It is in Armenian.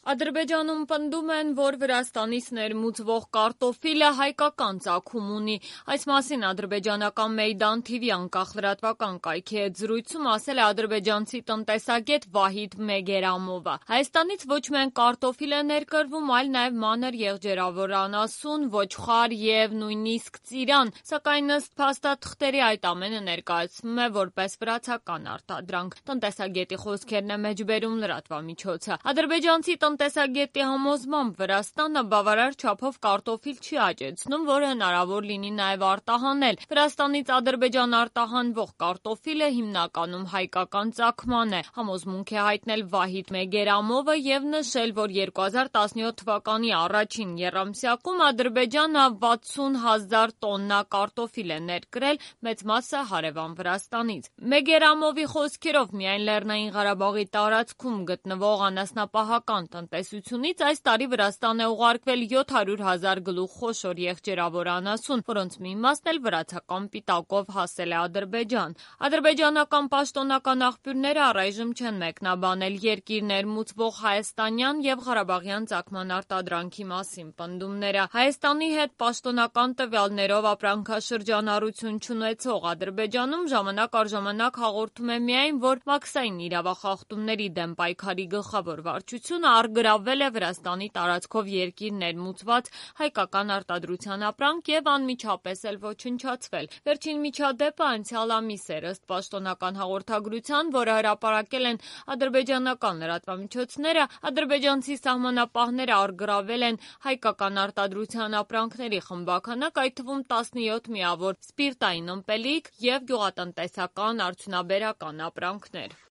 Ադրբեջանում պնդում են, որ Վրաստանից ներմուծվող կարտոֆիլը հայկական ծագում ունի։ Այս մասին ադրբեջանական Մեյդան TV անկախ լրատվական կայքի հետ զրույցում ասել է ադրբեջանցի տնտեսագետ Վահիդ Մեգերամովը։ Հայաստանից ոչ միայն կարտոֆիլ է ներկրվում, այլ նաև մանր եղջերավոր անասուն, ոչխար եւ նույնիսկ ծիրան, սակայն ըստ փաստաթղթերի այդ ամենը ներկայացվում է որպես վրացական արտադրանք։ Տնտեսագետի խոսքերն է մեջբերում լրատվամիջոցը։ Ադրբեջանցի տնտեսագետի համոզմամբ Վրաստանը բավարար չափով կարտոֆիլ չի աճեցնում, որը հնարավոր լինի նաև արտահանել։ Վրաստանից Ադրբեջան արտահանվող կարտոֆիլը հիմնականում հայկական ծագման է, համոզմունք է հայտնել Վահիդ Մեգերամովը եւ նշել, որ 2017 թվականի առաջին եռամսյակում Ադրբեջանը 60,000 տոննա կարտոֆիլ է ներկրել, մեծ մասը հարևան Վրաստանից։ Մեգերամովի խոսքերով միայն Լեռնային Ղարաբաղի տարածքում գտնվող անասնապահական տնտեսությունից այս տարի Վրաստան է ուղարկվել 700,000 գլուխ խոշոր եղջերավոր անասուն, որոնց մի մասն էլ վրացական պիտակով հասել է Ադրբեջան։ Ադրբեջանական պաշտոնական աղբյուրները առայժմ չեն մեկնաբանել երկիր ներմուծվող հայաստանյան եւ ղարաբաղյան ծագման արտադրանքի մասին պնդումները։ Հայաստանի հետ պաշտոնական տվյալներով ապրանքաշրջանառություն չունեցող Ադրբեջանում ժամանակ առ ժամանակ հաղորդում է միայն, որ մաքսային իրավախախտումների դեմ պայքարի գլխավոր վարչությունը առգրավվել է Վրաստանի տարածքով երկիր ներմուծված հայկական արտադրության ապրանք եւ անմիջապես էլ ոչնչացվել։ Վերջին միջադեպը անցյալ ամիս էր, ըստ պաշտոնական հաղորդագրության, որը հրապարակել են ադրբեջանական լրատվամիջոցները, ադրբեջանցի սահմանապահները առգրավել են հայկական արտադրության ապրանքների խմբաքանակ, այդ թվում 17 միավոր սպիրտային ըմպելիք եւ գյուղատնտեսական արդյունաբերական ապրանքներ։